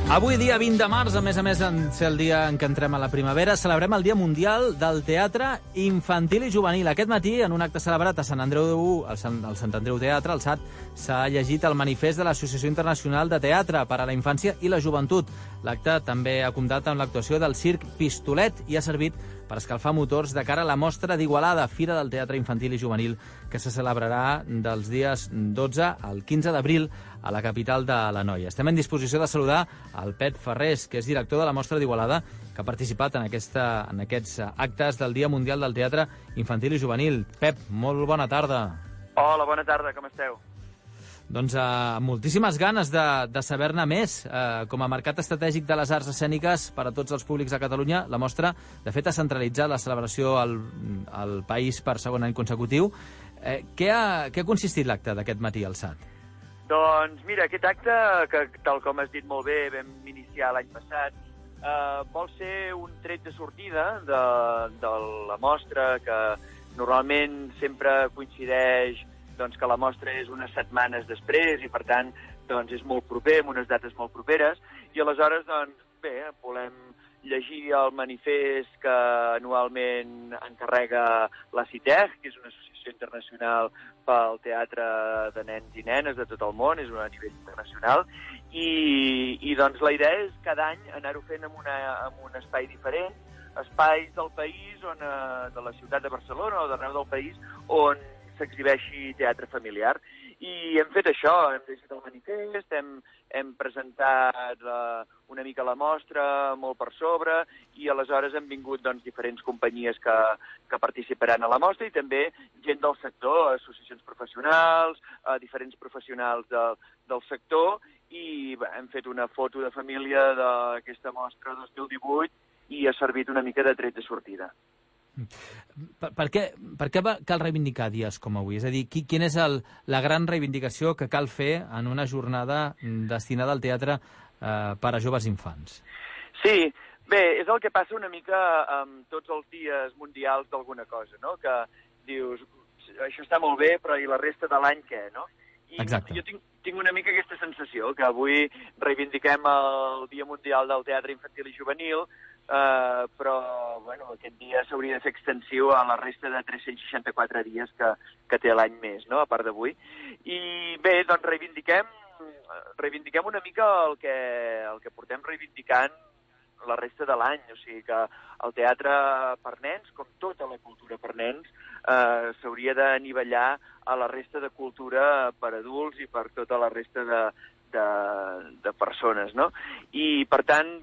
Avui, dia 20 de març, a més de ser el dia en què entrem a la primavera, celebrem el Dia Mundial del Teatre Infantil i Juvenil. Aquest matí, en un acte celebrat a Sant Andreu, al Sant Andreu Teatre, al SAT, s'ha llegit el manifest de l'Associació Internacional de Teatre per a la Infància i la Joventut. L'acte també ha comptat amb l'actuació del Circ Pistolet i ha servit per escalfar motors de cara a la mostra d'Igualada, Fira del Teatre Infantil i Juvenil, que se celebrarà dels dies 12 al 15 d'abril a la capital de l'Anoia. Estem en disposició de saludar el Pep Ferrés, que és director de la mostra d'Igualada, que ha participat en aquests actes del Dia Mundial del Teatre Infantil i Juvenil. Pep, molt bona tarda. Hola, bona tarda, com esteu? Doncs moltíssimes ganes de saber-ne més. Com a mercat estratègic de les arts escèniques per a tots els públics de Catalunya, la mostra, de fet, ha centralitzat la celebració al país per segon any consecutiu. Què ha consistit l'acte d'aquest matí al SAT? Doncs mira, aquest acte, que tal com has dit molt bé, vam iniciar l'any passat, vol ser un tret de sortida de la mostra, que normalment sempre coincideix que la mostra és unes setmanes després i, per tant, és molt proper, amb unes dates molt properes, i aleshores, volem llegir el manifest que anualment encarrega la CITEG, que és una associació internacional pel teatre de nens i nenes de tot el món, és a nivell internacional, i la idea és cada any anar-ho fent en un espai diferent, espais del país, de la ciutat de Barcelona o d'arreu del país, on s'exhibeixi teatre familiar. I hem fet això, hem llegit el manifest, hem presentat una mica la mostra, molt per sobre, i aleshores han vingut diferents companyies que participaran a la mostra i també gent del sector, associacions professionals, diferents professionals del sector, i hem fet una foto de família d'aquesta mostra 2018 i ha servit una mica de tret de sortida. Per què cal reivindicar dies com avui? És a dir, quina és la gran reivindicació que cal fer en una jornada destinada al teatre per a joves infants? Sí, bé, és el que passa una mica amb tots els dies mundials d'alguna cosa, no? Que dius, això està molt bé, però i la resta de l'any què, no? I exacte. Jo tinc una mica aquesta sensació, que avui reivindiquem el Dia Mundial del Teatre Infantil i Juvenil, però aquest dia s'hauria de fer extensiu a la resta de 364 dies que té l'any més, no? A part d'avui. I bé, reivindiquem una mica el que portem reivindicant la resta de l'any, o sigui que el teatre per nens, com tota la cultura per nens, s'hauria d'anivellar a la resta de cultura per adults i per tota la resta de persones, no? I, per tant,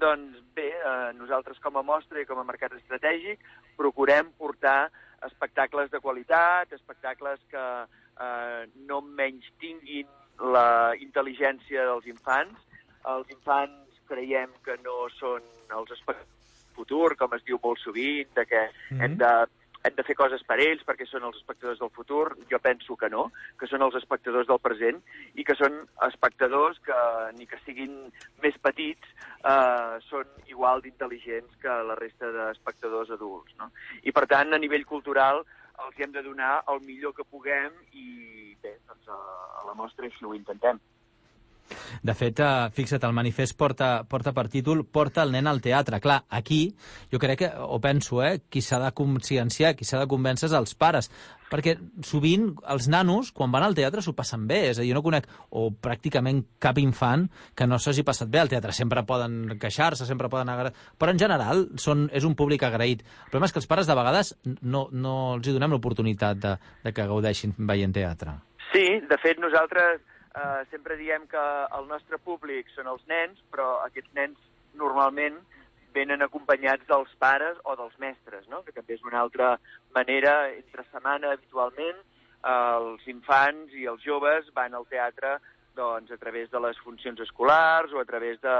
nosaltres com a mostra i com a mercat estratègic procurem portar espectacles de qualitat, espectacles que no menys tinguin la intel·ligència dels infants. Els infants creiem que no són els espectadors del futur, com es diu molt sovint, que hem de fer coses per ells perquè són els espectadors del futur. Jo penso que no, que són els espectadors del present i que són espectadors que, ni que siguin més petits, són igual d'intel·ligents que la resta d'espectadors adults, no? I, per tant, a nivell cultural, els hem de donar el millor que puguem i, bé, a la mostra així ho intentem. De fet, fixa't, el manifest porta per títol Porta el nen al teatre. Clar, aquí jo crec que, o penso, qui s'ha de conscienciar, qui s'ha de convèncer és els pares, perquè sovint els nanos, quan van al teatre, s'ho passen bé. És a dir, jo no conec, o pràcticament cap infant que no s'hagi passat bé al teatre. Sempre poden queixar-se, sempre poden agradar, però en general és un públic agraït. El problema és que els pares de vegades no els hi donem l'oportunitat de que gaudeixin veient teatre. Sí, de fet, nosaltres sempre diem que el nostre públic són els nens, però aquests nens normalment venen acompanyats dels pares o dels mestres, no? Que també és una altra manera. Entre setmana, habitualment, els infants i els joves van al teatre a través de les funcions escolars o a través de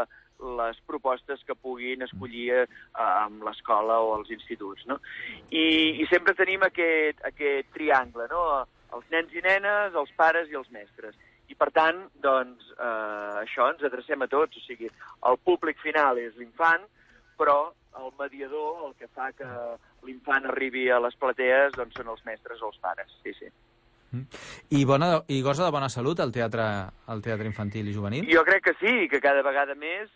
les propostes que puguin escollir amb l'escola o els instituts, no? I sempre tenim aquest triangle, no? Els nens i nenes, els pares i els mestres. I, per tant, això ens adrecem a tots. O sigui, el públic final és l'infant, però el mediador, el que fa que l'infant arribi a les platees, són els mestres o els pares. Sí, sí. I gosa de bona salut el teatre infantil i juvenil? Jo crec que sí, que cada vegada més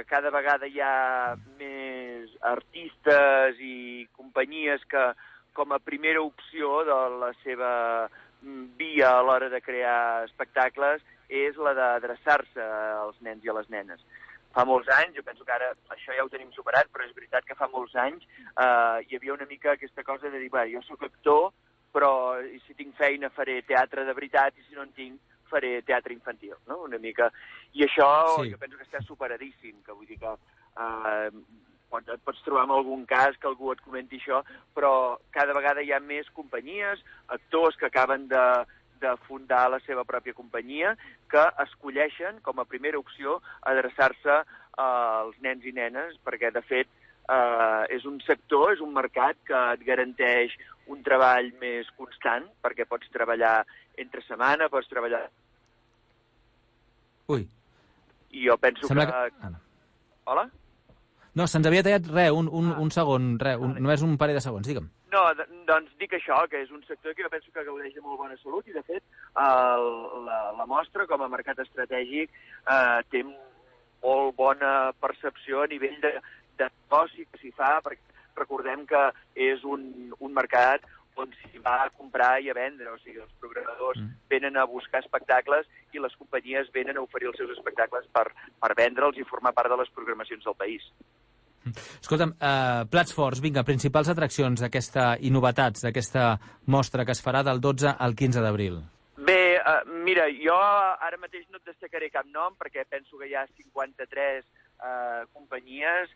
cada vegada hi ha més artistes i companyies que, com a primera opció de la seva via a l'hora de crear espectacles, és la d'adreçar-se als nens i a les nenes. Fa molts anys, jo penso que ara això ja ho tenim superat, però és veritat que fa molts anys hi havia una mica aquesta cosa de dir, jo sóc actor, però si tinc feina faré teatre de veritat i si no en tinc faré teatre infantil, no? Una mica. I això jo penso que està superadíssim, que vull dir que et pots trobar en algun cas que algú et comenti això, però cada vegada hi ha més companyies, actors que acaben de fundar la seva pròpia companyia, que escolleixen com a primera opció adreçar-se als nens i nenes, perquè de fet és un sector, és un mercat que et garanteix un treball més constant, perquè pots treballar entre setmana, pots treballar... Ui. I jo penso que... Hola? No, se'ns havia tallat un segon, només un parell de segons, digue'm. No, doncs dic això, que és un sector que jo penso que gaudeix de molt bona salut i, de fet, la mostra, com a mercat estratègic, té molt bona percepció a nivell de negoci que s'hi fa, perquè recordem que és un mercat on s'hi va a comprar i a vendre, o sigui, els programadors venen a buscar espectacles i les companyies venen a oferir els seus espectacles per vendre'ls i formar part de les programacions del país. Escolta'm, plats forts, vinga, principals atraccions d'aquesta i novetats d'aquesta mostra que es farà del 12 al 15 d'abril. Bé, mira, jo ara mateix no et destacaré cap nom perquè penso que hi ha 53 companyies,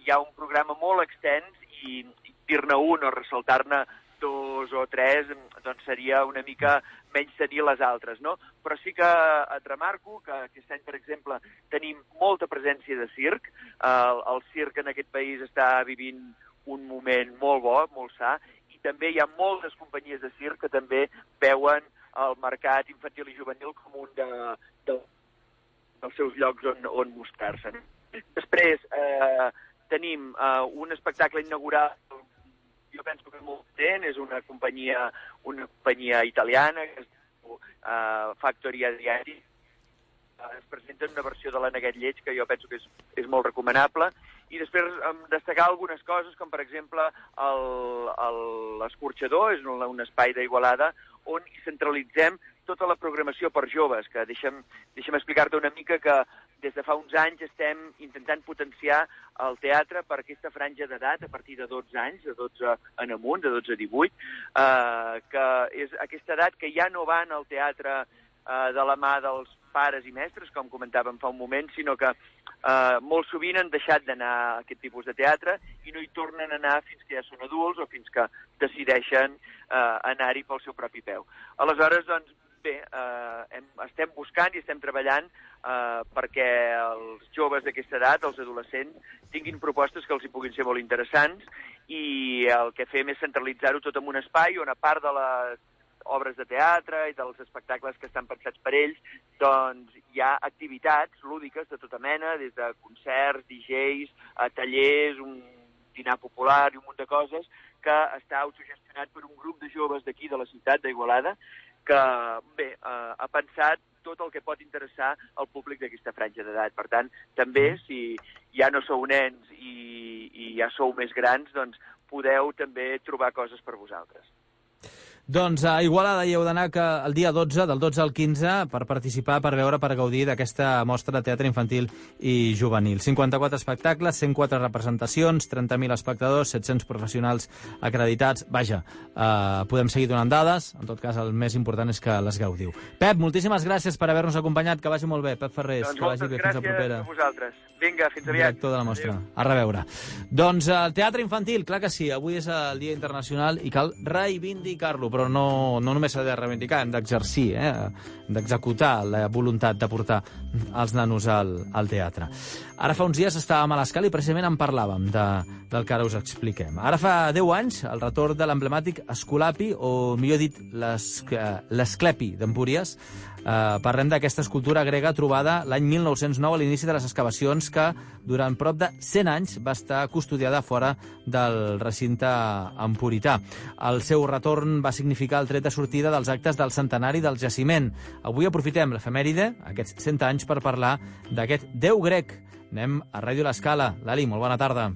hi ha un programa molt extens i dir-ne un o ressaltar-ne dos o tres doncs seria una mica menys tenir les altres, no? Però sí que et remarco que aquest any, per exemple, tenim molta presència de circ. El circ en aquest país està vivint un moment molt bo, molt sa, i també hi ha moltes companyies de circ que també veuen el mercat infantil i juvenil com un dels seus llocs on mostrar-se. Després tenim un espectacle inaugural, jo penso que és molt potent, és una companyia italiana, que es diu Factory Adriatic. Es presenta una versió de la Neguet Lleig que jo penso que és molt recomanable. I després destacar algunes coses, com per exemple l'Escorxador, és un espai d'Igualada on hi centralitzem tota la programació per joves, que deixa'm explicar-te una mica que des de fa uns anys estem intentant potenciar el teatre per aquesta franja d'edat a partir de 12 anys, de 12 en amunt, de 12 a 18, que és aquesta edat que ja no van al teatre de la mà dels pares i mestres, com comentàvem fa un moment, sinó que molt sovint han deixat d'anar a aquest tipus de teatre i no hi tornen a anar fins que ja són adults o fins que decideixen anar-hi pel seu propi peu. Aleshores, doncs, bé, estem buscant i estem treballant perquè els joves d'aquesta edat, els adolescents, tinguin propostes que els hi puguin ser molt interessants i el que fem és centralitzar-ho tot en un espai on, a part de les obres de teatre i dels espectacles que estan pensats per ells, doncs hi ha activitats lúdiques de tota mena, des de concerts, DJs, tallers, un dinar popular i un munt de coses, que està autogestionat per un grup de joves d'aquí, de la ciutat d'Igualada, que, bé, ha pensat tot el que pot interessar al públic d'aquesta franja d'edat. Per tant, també, si ja no sou nens i ja sou més grans, doncs podeu també trobar coses per vosaltres. Doncs a Igualada hi heu d'anar el dia 12, del 12 al 15, per participar, per veure, per gaudir d'aquesta mostra de teatre infantil i juvenil. 54 espectacles, 104 representacions, 30.000 espectadors, 700 professionals acreditats. Vaja, podem seguir donant dades, en tot cas el més important és que les gaudiu. Pep, moltíssimes gràcies per haver-nos acompanyat, que vagi molt bé. Pep Ferrés, doncs que vagi bé, fins la propera. Moltes gràcies a vosaltres. Vinga, fins aviat. Director de la mostra. Adéu. A reveure. Doncs el teatre infantil, clar que sí, avui és el Dia Internacional i cal reivindicar-lo, però no només s'ha de reivindicar, hem d'exercir, d'executar la voluntat de portar els nanos al teatre. Ara fa uns dies estàvem a l'Escala i precisament en parlàvem del que ara us expliquem. Ara fa 10 anys, el retorn de l'emblemàtic Esculapi, o millor dit, l'Esclepi d'Empúries. Parlem d'aquesta escultura grega trobada l'any 1909 a l'inici de les excavacions que durant prop de 100 anys va estar custodiada fora del recinte empurità. El seu retorn va significar el tret de sortida dels actes del centenari del jaciment. Avui aprofitem l'efemèride, aquests 100 anys, per parlar d'aquest déu grec. Anem a Ràdio L'Escala. Lali, molt bona tarda.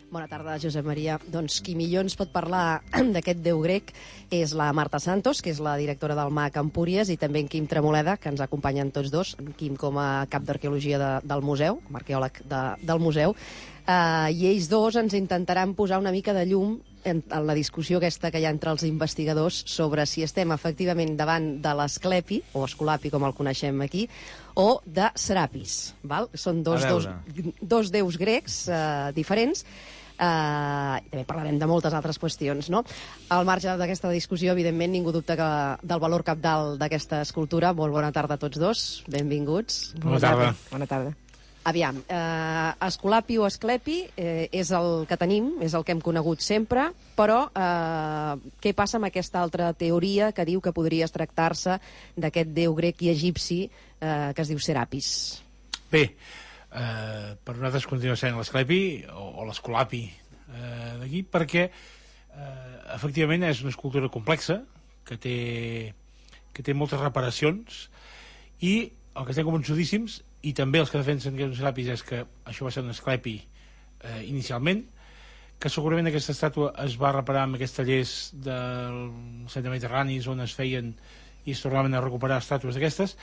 Bona tarda, Josep Maria. Doncs qui millor ens pot parlar d'aquest déu grec és la Marta Santos, que és la directora del MAC Empúries, i també en Quim Tremoleda, que ens acompanyen tots dos, en Quim com a cap d'arqueologia del museu, com a arqueòleg del museu, i ells dos ens intentaran posar una mica de llum en la discussió aquesta que hi ha entre els investigadors sobre si estem efectivament davant de l'Esclepi, o Esculapi com el coneixem aquí, o de Serapis. Val? Són dos déus grecs diferents. També parlarem de moltes altres qüestions, no? Al marge d'aquesta discussió, evidentment, ningú dubta del valor cabdal d'aquesta escultura. Molt bona tarda a tots dos, benvinguts. Bona tarda. Bona tarda. Aviam, Esculapi o Esclepi és el que tenim, és el que hem conegut sempre, però què passa amb aquesta altra teoria que diu que podria tractar-se d'aquest déu grec i egipci que es diu Serapis? Bé, per nosaltres continua sent l'Esclepi o l'Esculapi d'aquí, perquè efectivament és una escultura complexa que té moltes reparacions, i el que estem convençudíssims, i també els que defensen que és un Serapis, és que això va ser un Esclepi inicialment, que segurament aquesta estàtua es va reparar amb aquests tallers del centre mediterrani on es feien i es tornaven a recuperar estàtues d'aquestes.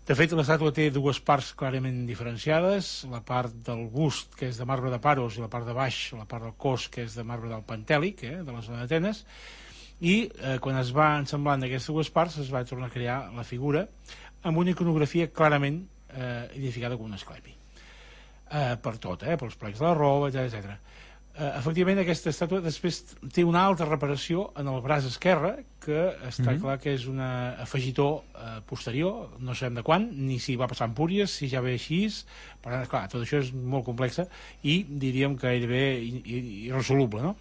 De fet, l'estàtua té dues parts clarament diferenciades, la part del bust, que és de marbre de Paros, i la part de baix, la part del cos, que és de marbre del Pantèlic, de la zona d'Atenes, i quan es va ensamblant aquestes dues parts es va tornar a crear la figura amb una iconografia clarament identificada com un Esclepi. Per tot, pels plecs de la roba, etc. Efectivament, aquesta estàtua després té una altra reparació en el braç esquerre, que està clar que és un afegitó posterior, no sabem de quan, ni si va passar a Empúries, si ja ve així. Per tant, clar, tot això és molt complex i diríem que gairebé irresoluble, no?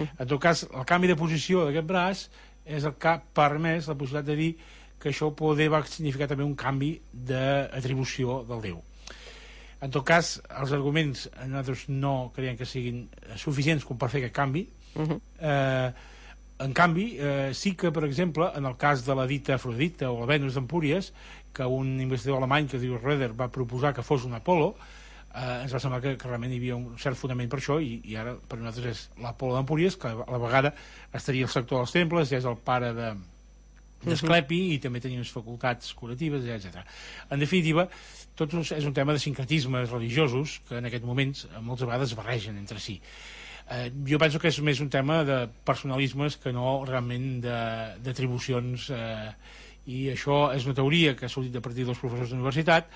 En tot cas, el canvi de posició d'aquest braç és el que ha permès la possibilitat de dir que això poder va significar també un canvi d'atribució del déu. En tot cas, els arguments nosaltres no creiem que siguin suficients com per fer aquest canvi. En canvi, sí que, per exemple, en el cas de la dita Afrodita o la Venus d'Empúries, que un investigador alemany que es diu Röder va proposar que fos un Apol·lo, ens va semblar que realment hi havia un cert fonament per això, i ara per nosaltres és l'Apol·lo d'Empúries, que a la vegada estaria al sector dels temples, ja és el pare d'Esclepi, i també tenia unes facultats curatives, etc. En definitiva, tot és un tema de sincretismes religiosos que en aquests moments moltes vegades es barregen entre si. Jo penso que és més un tema de personalismes que no realment d'atribucions, i això és una teoria que ha sortit a partir dels professors d'universitat,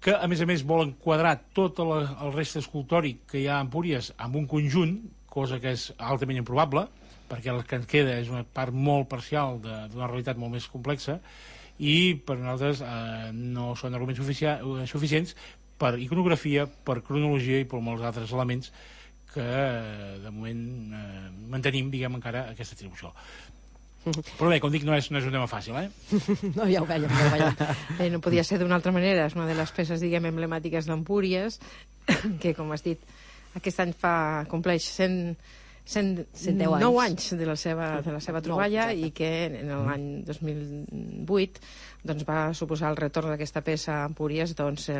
que a més volen quadrar tot el reste escultòric que hi ha a Empúries amb un conjunt, cosa que és altament improbable, perquè el que ens queda és una part molt parcial d'una realitat molt més complexa, i per nosaltres no són arguments suficients per iconografia, per cronologia i per molts altres elements que de moment mantenim, diguem, encara aquesta atribució. Però bé, com dic, no és un tema fàcil, No, ja ho veiem. No podia ser d'una altra manera. És una de les peces, diguem, emblemàtiques d'Empúries, que, com has dit, aquest any compleix 109 anys de la seva troballa, i que en l'any 2008 doncs, va suposar el retorn d'aquesta peça a Empúries, doncs,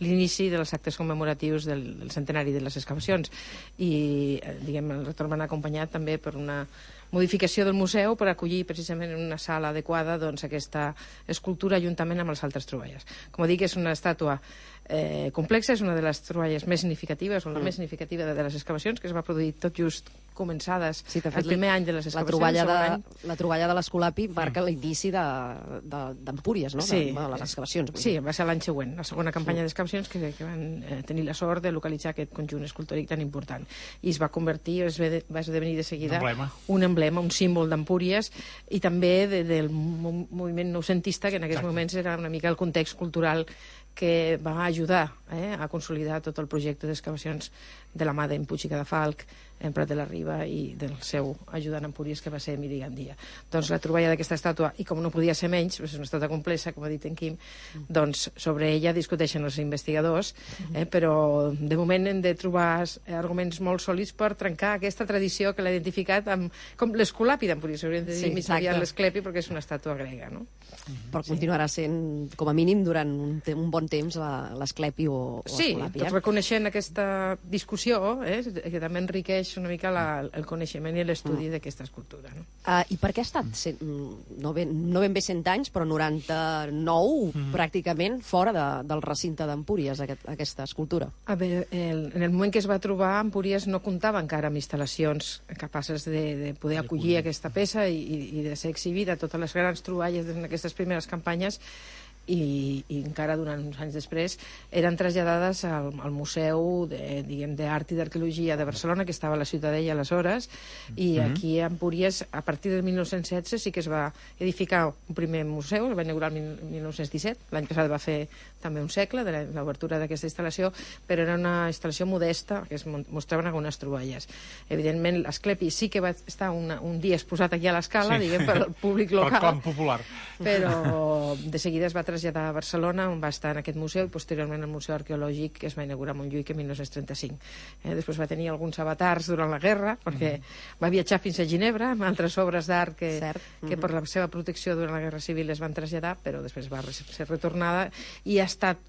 l'inici dels actes commemoratius del centenari de les excavacions. I diguem, el retorn va anar acompanyat també per una modificació del museu per acollir precisament en una sala adequada doncs, aquesta escultura juntament amb les altres troballes. Com dic, és una estàtua complexa, és una de les troballes més significatives, o la més significativa de les excavacions, que es va produir tot just començades el primer any de les excavacions. La troballa de l'Esculapi marca l'inici d'Empúries, no? Sí, de les excavacions. Sí, va ser l'any següent, la segona campanya d'excavacions que van tenir la sort de localitzar aquest conjunt escultòric tan important. I es va convertir, va esdevenir de seguida un emblema, un símbol d'Empúries, i també del moviment noucentista, que en aquests moments era una mica el context cultural que va ajudar a consolidar tot el projecte d'excavacions de la mà d'en Puig i Cadafalch, en Prat de la Riba i del seu ajudant a Empúries, que va ser Emili Gandia. Doncs la troballa d'aquesta estàtua, i com no podia ser menys, és una estàtua complexa, com ha dit en Quim, doncs sobre ella discuteixen els investigadors, però de moment hem de trobar arguments molt sòlids per trencar aquesta tradició que l'ha identificat com l'escolapi d'Empúries. Hauríem de dir més aviat l'esclepi, perquè és una estàtua grega, no? Però continuarà sent, com a mínim, durant un bon temps l'esclepi o l'escolapi. Sí, tot reconeixent aquesta discussió, que també enriqueix una mica el coneixement i l'estudi d'aquesta escultura. No? I per què ha estat, no ben bé 100 anys, però 99 pràcticament fora del recinte d'Empúries, aquesta escultura? A veure, en el moment que es va trobar, Empúries no comptava encara amb instal·lacions capaces de poder acollir aquesta peça i de ser exhibida. Totes les grans troballes en aquestes primeres campanyes i encara durant uns anys després eren traslladades al Museu d'Art i d'Arqueologia de Barcelona, que estava a la Ciutadella aleshores, i aquí a Empúries, a partir del 1916, sí que es va edificar un primer museu, el va inaugurar el 1917, l'any passat va fer també un segle de l'obertura d'aquesta instal·lació, però era una instal·lació modesta, que es mostraven algunes troballes. Evidentment, l'Asclepi sí que va estar un dia exposat aquí a l'Escala, diguem, per al públic local. Per clam popular. Però de seguida es va traslladar a Barcelona, on va estar en aquest museu, i posteriorment el Museu Arqueològic, que es va inaugurar a Montjuïc en 1935. Després va tenir alguns avatars durant la guerra, perquè va viatjar fins a Ginebra, amb altres obres d'art que per la seva protecció durant la Guerra Civil es van traslladar, però després va ser retornada, i ha estat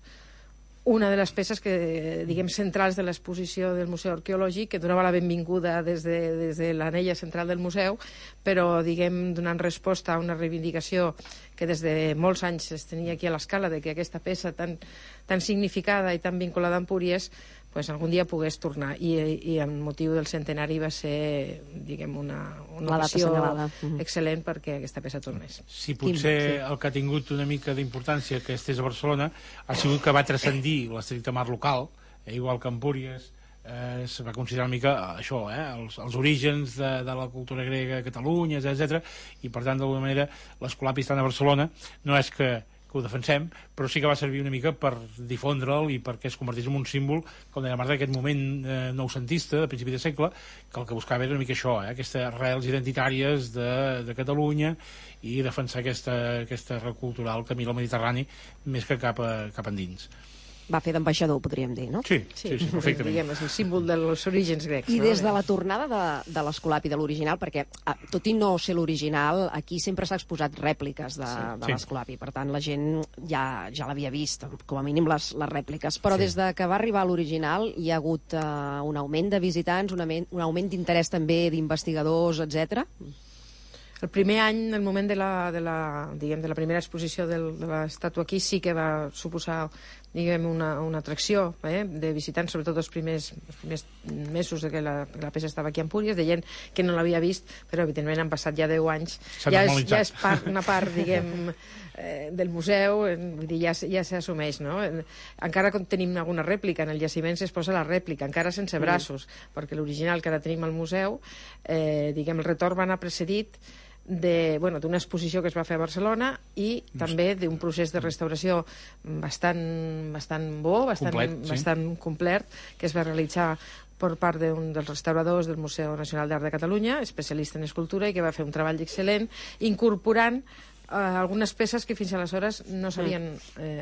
una de les peces que, diguem, centrals de l'exposició del Museu Arqueològic, que donava la benvinguda des de l'anella central del museu, però, diguem, donant resposta a una reivindicació que des de molts anys es tenia aquí a l'Escala, de que aquesta peça tan significada i tan vinculada a Empúries pues, algun dia pogués tornar, i amb motiu del centenari va ser, diguem, una ocasió excel·lent perquè aquesta peça tornés. Si potser el que ha tingut una mica d'importància que estés a Barcelona ha sigut que va transcendir l'estricte mar local, igual que Empúries es va considerar una mica això, els orígens de la cultura grega a Catalunya, etc. I per tant, d'alguna manera, l'Escolapi estant a Barcelona no és que ho defensem, però sí que va servir una mica per difondre'l i perquè es convertís en un símbol, com deia Marta, d'aquest moment noucentista, de principi de segle, que el que buscava era una mica això, aquestes arrels identitàries de Catalunya i defensar aquesta arrel cultural que mira el Mediterrani més que cap endins. Va fer d'ambaixador, podríem dir, no? Sí, perfectament. Diguem, és el símbol dels orígens grecs. I des de la tornada de l'Escolapi, de l'original, perquè tot i no ser l'original, aquí sempre s'ha exposat rèpliques de l'Escolapi, per tant la gent ja l'havia vist, com a mínim les rèpliques, però des de que va arribar l'original hi ha hagut un augment de visitants, un augment d'interès també d'investigadors, etc. El primer any, el moment de la primera exposició de l'estàtua aquí, sí que va suposar, diguem, una atracció de visitants, sobretot els primers mesos que la peça estava aquí a Empúries, de gent que no l'havia vist, però evidentment han passat ja 10 anys. Ja és una part, diguem, del museu, vull dir, ja s'assumeix, no? Encara tenim alguna rèplica, en el jaciment s'exposa la rèplica, encara sense braços, perquè l'original que ara tenim al museu, diguem, el retorn va anar precedit d'una exposició que es va fer a Barcelona i també d'un procés de restauració bastant bo, bastant complet, que es va realitzar per part d'un dels restauradors del Museu Nacional d'Art de Catalunya, especialista en escultura, i que va fer un treball excel·lent incorporant algunes peces que fins aleshores no s'havien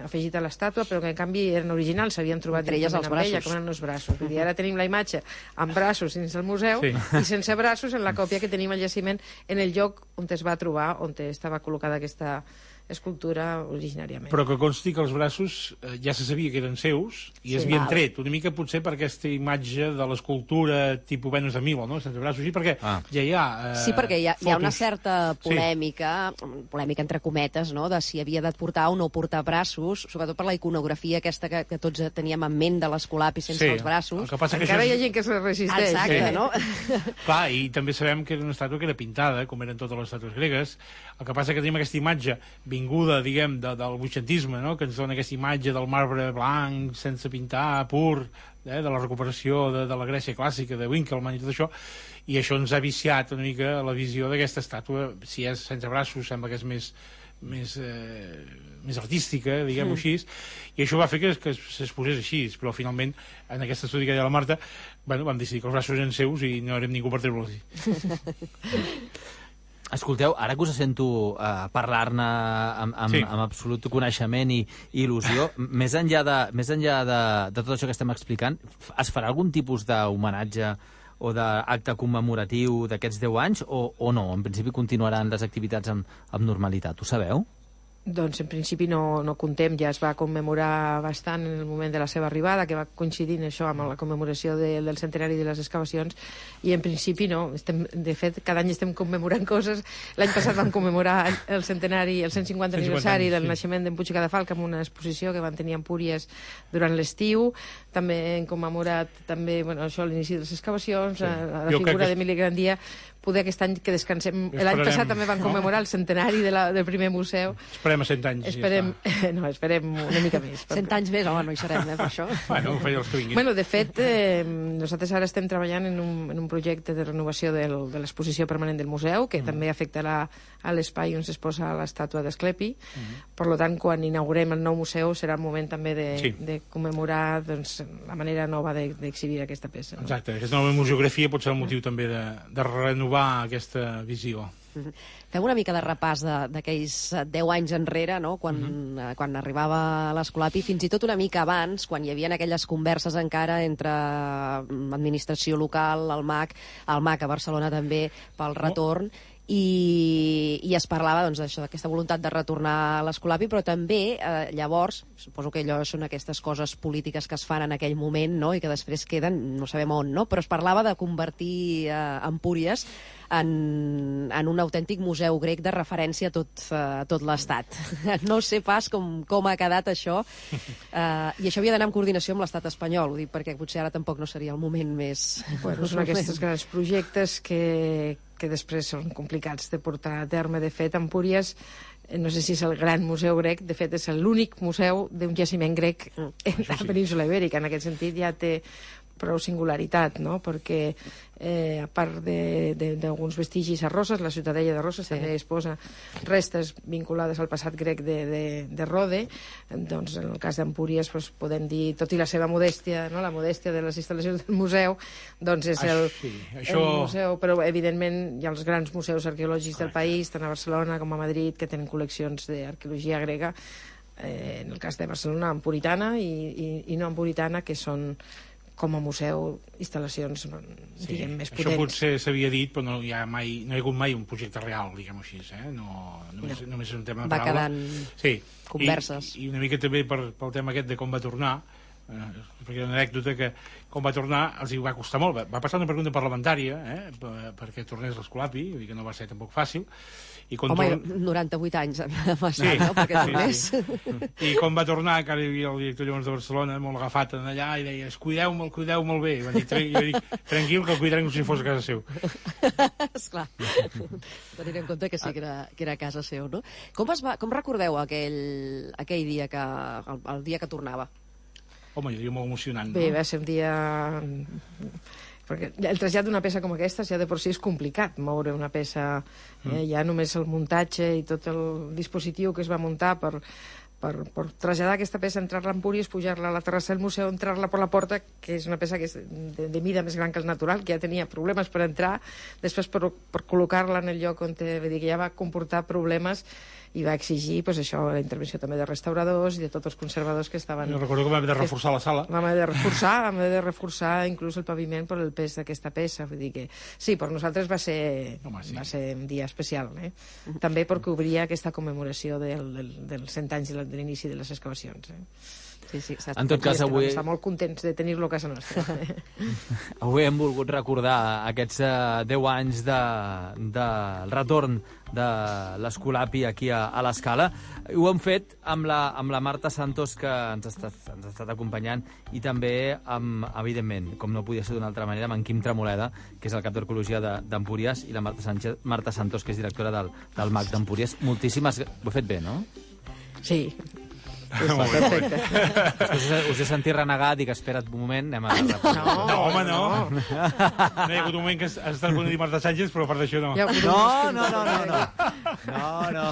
afegit a l'estàtua, però que en canvi eren originals, s'havien trobat entre elles els braços. Com eren els braços. Vull dir, ara tenim la imatge amb braços dins el museu i sense braços en la còpia que tenim al jaciment en el lloc on es va trobar, on estava col·locada aquesta escultura originàriament. Però que consti que els braços ja se sabia que eren seus i es havien tret, una mica potser per aquesta imatge de l'escultura tipus Venus de Milo, no? Sense braços, sí, perquè ja hi ha sí, perquè hi ha una certa polèmica entre cometes, no?, de si havia de portar o no portar braços, sobretot per la iconografia aquesta que tots teníem en ment de l'Escolapi sense els braços. Encara hi ha gent que se resisteix. Exacte, no? Clar, i també sabem que era una estàtua que era pintada, com eren totes les estàtues gregues. El que passa que tenim aquesta imatge vinguda, diguem, del vuitcentisme, no?, que ens dona aquesta imatge del marbre blanc, sense pintar, pur, de la recuperació de la Grècia clàssica, de Winkelmann i tot això, i això ens ha viciat una mica la visió d'aquesta estàtua. Si és sense braços sembla que és més artística, diguem-ho així, i això va fer que es posés així, però finalment en aquest estudi que deia la Marta, bueno, vam decidir que els braços eren seus i no érem ningú per treure-los. Escolteu, ara que us sento parlar-ne amb absolut coneixement i il·lusió, més enllà de tot això que estem explicant, es farà algun tipus d'homenatge o d'acte commemoratiu d'aquests 10 anys o no? En principi continuaran les activitats amb normalitat, ho sabeu? Doncs en principi no comptem, ja es va commemorar bastant en el moment de la seva arribada, que va coincidint això amb la commemoració del centenari de les excavacions, i en principi no. De fet, cada any estem commemorant coses. L'any passat vam commemorar el centenari, el 150 aniversari del naixement d'en Puig i Cadafalch amb una exposició que van tenir a Empúries durant l'estiu. També hem commemorat l'inici de les excavacions, la figura d'Emili Grandia. Poder aquest any que descansem... L'any passat també van commemorar el centenari del primer museu. Esperem a 100 anys. Esperem una mica més. 100 anys més, home, no hi serem, per això. Bueno, ho feia els que vinguin. Bueno, de fet, nosaltres ara estem treballant en un projecte de renovació de l'exposició permanent del museu, que també afectarà a l'espai on s'exposa l'estàtua d'Asclepi. Per tant, quan inaugurem el nou museu serà el moment també de commemorar la manera nova d'exhibir aquesta peça. Exacte, aquesta nova museografia pot ser el motiu també de renovar aquesta visió. Fem una mica de repàs d'aquells 10 anys enrere, no? Quan arribava l'Escolapi, fins i tot una mica abans, quan hi havia aquelles converses encara entre administració local, el MAC a Barcelona també, pel retorn, i es parlava d'això, d'aquesta voluntat de retornar a l'Escolapi, però també llavors, suposo que allò són aquestes coses polítiques que es fan en aquell moment, no?, i que després queden, no sabem on, no?, però es parlava de convertir Empúries en un autèntic museu grec de referència a tot l'Estat. No sé pas com ha quedat això, i això havia d'anar en coordinació amb l'Estat espanyol, ho dic perquè potser ara tampoc no seria el moment més... Bueno, són aquests grans projectes que després són complicats de portar a terme. De fet, Empúries, no sé si és el gran museu grec, de fet és l'únic museu d'un jaciment grec en la península Ibèrica. En aquest sentit ja té prou singularitat, no?, perquè a part d'alguns vestigis a Roses, la ciutadella de Roses també exposa restes vinculades al passat grec de Rode. Doncs en el cas d'Empúries podem dir, tot i la seva modèstia, no?, la modèstia de les instal·lacions del museu, doncs és el museu, però evidentment hi ha els grans museus arqueològics del país, tant a Barcelona com a Madrid, que tenen col·leccions d'arqueologia grega, en el cas de Barcelona empuritana i no empuritana, que són com a museu, instal·lacions, diguem, més potents. Això potser s'havia dit, però no hi ha hagut mai un projecte real, diguem-ho així, només és un tema de paraula. Va quedant converses. I una mica també pel tema aquest de com va tornar, perquè hi ha una anècdota que com va tornar els hi va costar molt. Va passar una pregunta parlamentària perquè tornés l'Escolapi, vull dir que no va ser tampoc fàcil. Home, 98 anys va ser, no?, perquè tornés. I quan va tornar, que ara hi havia el director llavors de Barcelona, molt agafat allà, i deia, cuideu molt bé. Jo dic, tranquil, que el cuidarem com si fos a casa seu. Esclar, tenint en compte que sí que era a casa seu, no? Com recordeu aquell dia, el dia que tornava? Home, jo diria molt emocionant, no? Bé, va ser un dia... Perquè el trasllat d'una peça com aquesta ja de per si és complicat moure una peça, ja només el muntatge i tot el dispositiu que es va muntar per traslladar aquesta peça, entrar-la en Empúries, pujar-la a la terrassa del museu, entrar-la per la porta, que és una peça que és de mida més gran que el natural, que ja tenia problemes per entrar, després per col·locar-la en el lloc on ja va comportar problemes i va exigir la intervenció també de restauradors i de tots els conservadors que estaven... Jo recordo que vam haver de reforçar la sala. Vam haver de reforçar inclús el paviment per el pes d'aquesta peça. Vull dir que sí, per nosaltres va ser un dia especial, també perquè obria aquesta commemoració dels 100 anys de l'inici de les excavacions. Sí, en tot cas, avui... Estem molt contents de tenir-lo a casa nostra. Avui hem volgut recordar aquests 10 anys del retorn de l'Escolapi aquí a l'Escala. Ho hem fet amb la Marta Santos, que ens ha estat acompanyant, i també, evidentment, com no podia ser d'una altra manera, amb en Quim Tremoleda, que és el cap d'Arqueologia d'Empúries, i la Marta Santos, que és directora del MAC d'Empúries. Moltíssimes... Ho he fet bé, no? Sí. Perfecte. Us he sentit renegar, dic, espera't un moment, anem a... No, home, no. No hi ha hagut un moment que has estat bon a dir Marta Sánchez, però a part d'això no. No.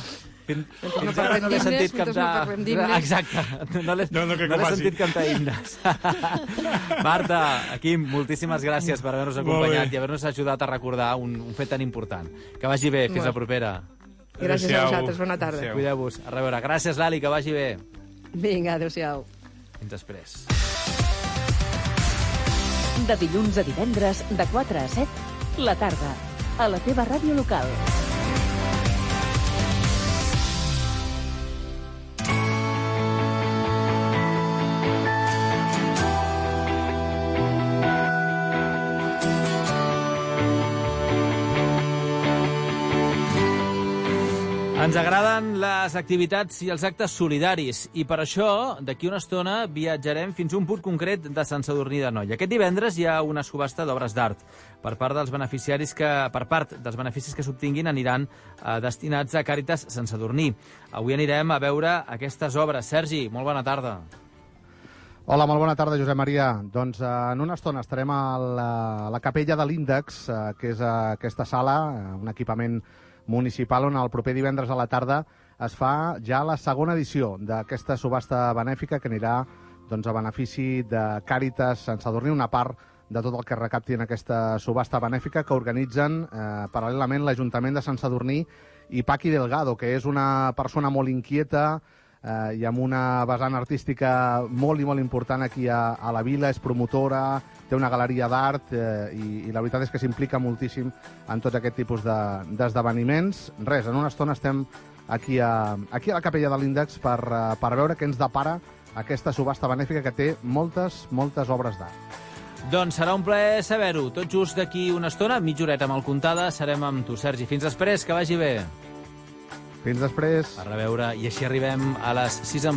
Fins ara no l'he sentit cantar... Exacte, no l'he sentit cantar himnes. Marta, Quim, moltíssimes gràcies per haver-nos acompanyat i haver-nos ajudat a recordar un fet tan important. Que vagi bé, fins la propera. Gràcies a vosaltres, bona tarda. Cuideu-vos, a reveure. Gràcies, Lali, que vagi bé. Vinga, adéu-siau. Fins després. De dilluns a divendres, de 4 a 7, la tarda, a la teva ràdio local. Ens agraden les activitats i els actes solidaris i per això, d'aquí una estona, viatjarem fins a un punt concret de Sant Sadurní d'Anoia. Aquest divendres hi ha una subhasta d'obres d'art. Per part dels beneficis que s'obtinguin aniran destinats a Càritas Sant Sadurní. Avui anirem a veure aquestes obres. Sergi, molt bona tarda. Hola, molt bona tarda, Josep Maria. Doncs en una estona estarem a la capella de l'Índex, que és aquesta sala, un equipament municipal on el proper divendres a la tarda es fa ja la segona edició d'aquesta subhasta benèfica que anirà a benefici de Càritas Sant Sadurní, una part de tot el que recapti en aquesta subhasta benèfica que organitzen paral·lelament l'Ajuntament de Sant Sadurní i Paqui Delgado, que és una persona molt inquieta i amb una vessant artística molt i molt important aquí a la vila, és promotora, té una galeria d'art i la veritat és que s'implica moltíssim en tot aquest tipus d'esdeveniments. Res, en una estona estem aquí a la capella de l'Índex per veure què ens depara aquesta subhasta benèfica que té moltes obres d'art. Doncs serà un plaer saber-ho. Tot just d'aquí una estona, mitja horeta mal comptada, serem amb tu, Sergi. Fins després, que vagi bé. Fins després. A reveure, i així arribem a les 6 en punt.